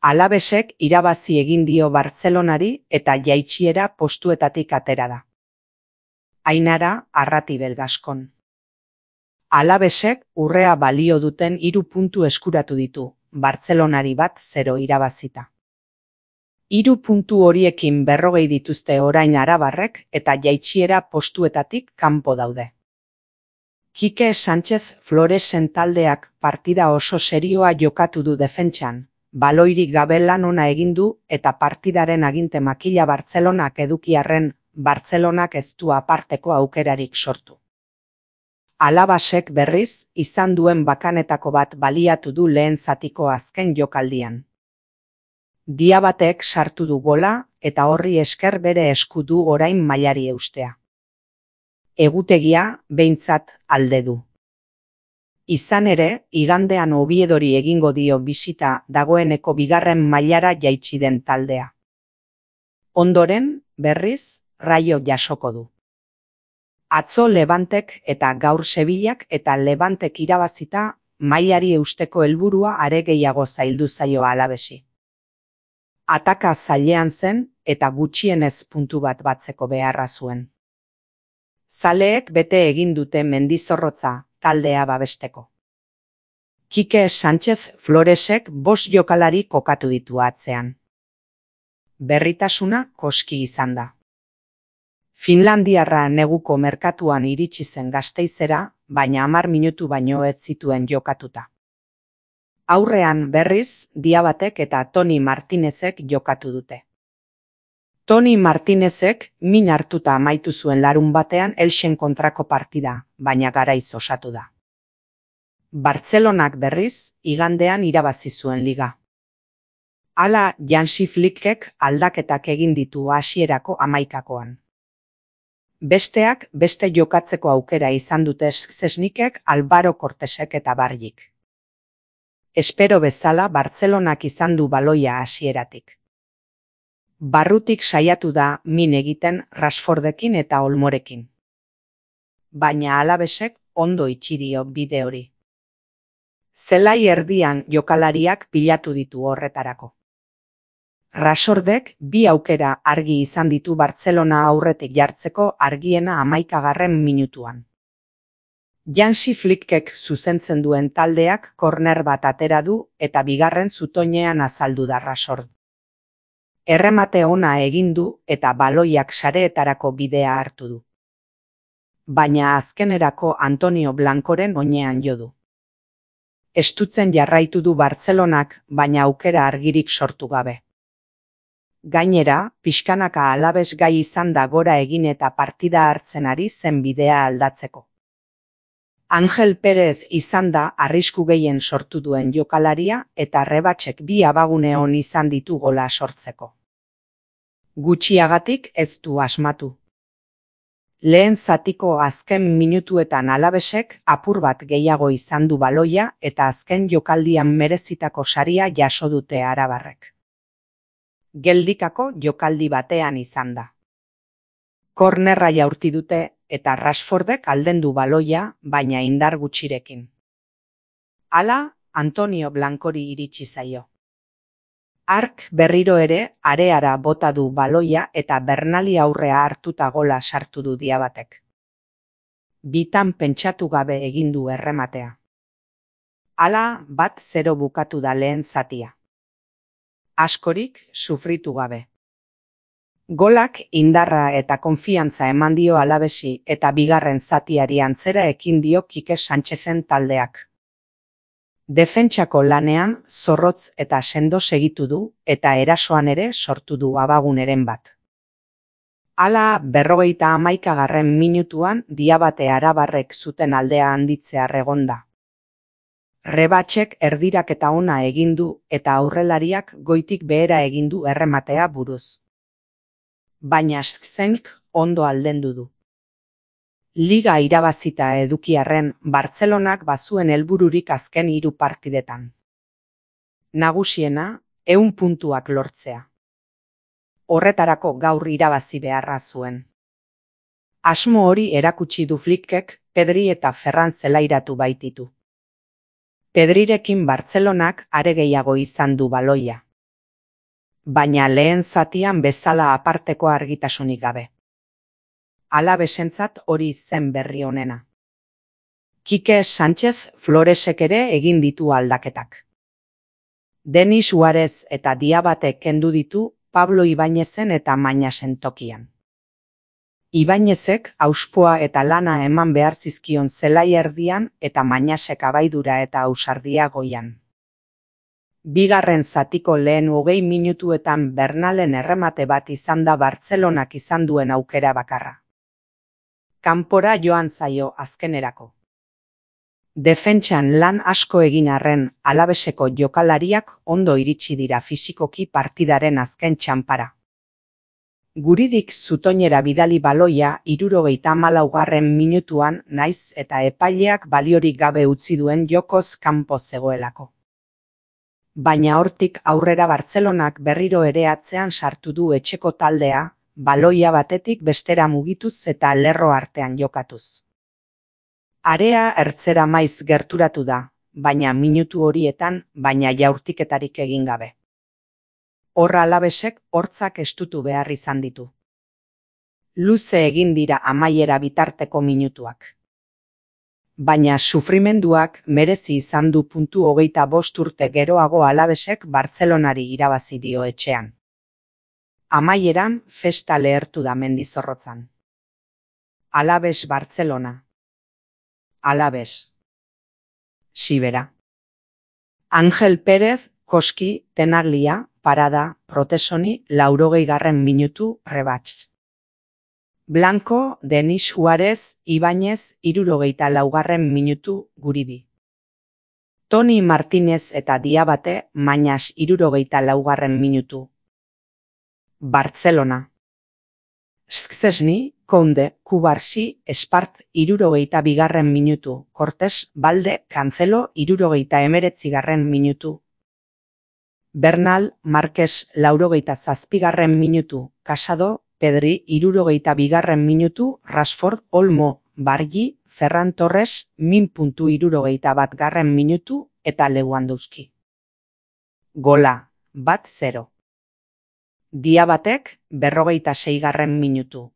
Alavesek irabazi egin dio Bartzelonari eta jaitsiera postuetatik atera da. Ainara Arratibel Gaskon. Alavesek urrea balio duten 3 puntu eskuratu ditu, Bartzelonari 1-0 irabazita. 3 puntu horiekin 40 dituzte orain arabarrek eta jaitsiera postuetatik kanpo daude. Kike Sánchez Floresen taldeak partida oso serioa jokatu du defentsan, baloirik gabe lan ona egin du eta partidaren aginte makila Bartzelonak edukiarren, Bartzelonak ez du aparteko aukerarik sortu. Alavesek berriz, izan duen bakanetako bat baliatu du lehen zatiko azken jokaldian. Diabatek sartu du gola eta horri esker bere esku du orain mailari eustea. Egutegia, behintzat, alde du. Izan ere, igandean Oviedori egingo dio bisita dagoeneko 2. mailara jaitsi den taldea. Ondoren, berriz, Raio jasoko du. Atzo Levantek eta gaur Sevillak eta Levantek irabazita, mailari eusteko helburua are gehiago zaildu zaio Alavesi. Ataka zailean zen eta gutxienez puntu bat batzeko beharra zuen. Zaleek bete egin dute Mendizorrotza taldea babesteko. Kike Sánchez Floresek 5 jokalari kokatu ditu atzean. Berritasuna koski izan da. Finlandiarra neguko merkatuan iritsi zen Gasteizera, baina 10 minutu baino ez zituen jokatuta. Aurrean berriz, Diabatek eta Toni Martinezek jokatu dute. Toni Martinezek min hartuta amaitu zuen larunbatean Elxen kontrako partida, baina garaiz osatu da. Bartzelonak berriz, igandean irabazi zuen liga. Hala Hansi Flickek aldaketak egin ditu hasierako 11koan. Besteak beste jokatzeko aukera izan dute Szczesnikek, Álvaro Cortesek eta Barjik. Espero bezala Bartzelonak izan du baloia hasieratik. Barrutik saiatu da min egiten Rashfordekin eta Olmorekin. Baina Alavesek ondo itxi dio bide hori. Zelai erdian jokalariak pilatu ditu horretarako. Rashfordek 2 aukera argi izan ditu Bartzelona aurretik jartzeko argiena 11. minutuan. Hansi Flickek zuzentzen duen taldeak korner bat atera du eta 2. zutoinean azaldu da Rashford. Erremate ona egin du eta baloiak sareetarako bidea hartu du. Baina azkenerako Antonio Blancoren oinean jo du. Estutzen jarraitu du Bartzelonak, baina aukera argirik sortu gabe. Gainera, pixkanaka Alaves gai izan da gora egin eta partida hartzen ari zen bidea aldatzeko. Angel Pérez izan da arrisku gehien sortu duen jokalaria eta Rebatzek 2 abagune on izan ditu gola sortzeko. Gutxiagatik ez du asmatu. Lehen zatiko azken minutuetan Alavesek apur bat gehiago izan du baloia eta azken jokaldian merezitako saria jaso dute arabarrek. Geldikako jokaldi batean izan da. Kornerra jaurti dute eta Rashfordek aldendu baloia, baina indar gutxirekin. Hala, Antonio Blancori iritsi zaio. Hark berriro ere areara bota du baloia eta Bernali aurrea hartuta gola sartu du Diabatek. Bitan pentsatu gabe egin du errematea. Hala 1-0 bukatu da lehen zatia. Askorik sufritu gabe. Golak indarra eta konfiantza eman dio Alavesi eta 2. zatiari antzera ekin dio Kike Sánchezen taldeak. Defentsako lanean zorrotz eta sendo segitu du eta erasoan ere sortu du abaguneren bat. Hala 51. minutuan Diabate arabarrek zuten aldea handitzea egonda. Rebatzek erdiraketa ona egin du eta aurrelariak goitik behera egin du errematea buruz. Baina Szczesnik ondo aldendu du. Liga irabazita edukiarren Bartzelonak bazuen helbururik azken 3 partidetan. Nagusiena, 100 puntuak lortzea. Horretarako gaur irabazi beharra zuen. Asmo hori erakutsi du Flickek Pedri eta Ferran zelairatu baititu. Pedrirekin Bartzelonak are gehiago izan du baloia. baina lehen zatian bezala aparteko argitasunik gabe. Alabesentzat hori zen berri onena. Kike Sánchez Floresek ere egin ditu aldaketak. Denis Suarez eta Diabate kendu ditu Pablo Ibáñezen eta Mañasen tokian. Ibáñezek auspoa eta lana eman behar zizkion zelai erdian eta Mañasek abaidura eta ausardia goian. Bigarren zatiko lehen 20 minutuetan Bernalen erremate bat izan da Bartzelonak izan duen aukera bakarra. Kanpora joan zaio azkenerako. Defentsan lan asko egin arren Alaveseko jokalariak ondo iritsi dira fisikoki partidaren azken txanpara. Guridik zutoinera bidali baloia 74. minutuan naiz eta epaileak baliorik gabe utzi duen jokoz kanpo zegoelako. Baina hortik aurrera Bartzelonak berriro ere atzean sartu du etxeko taldea, baloia batetik bestera mugituz eta lerro artean jokatuz. Area ertzera maiz gerturatu da, baina minutu horietan baina jaurtiketarik egin gabe. Horra Alavesek hortzak estutu behar izan ditu. Luze egin dira amaiera bitarteko minutuak. Baina sufrimenduak merezi izan du puntu 25 urte geroago Alavesek Bartzelonari irabazi dio etxean. Amaieran festa lehertu da Mendizorrotzan. Alaves Bartzelona. Alaves. Sibera. Ángel Pérez, Koski, Tenaglia, Parada, Protesoni, 80. minutu, Rebatx. Blanco, Denis Suarez, Ibáñez, 74. minutu, Guridi. Toni Martínez eta Diabate, Mañas, 74. minutu. Bartzelona. Szczesny, Kounde, Kubarsi, Espart, 72. minutu, Cortés, Balde, Cancelo, 79. minutu. Bernal, Marques, 87. minutu, Casado, Pedri, 72. minutu, Rashford, Olmo, Bargi, Ferran Torres, 71. minutu, eta Lewandowski. Gola, 1-0. Diabatek, 46. minutu,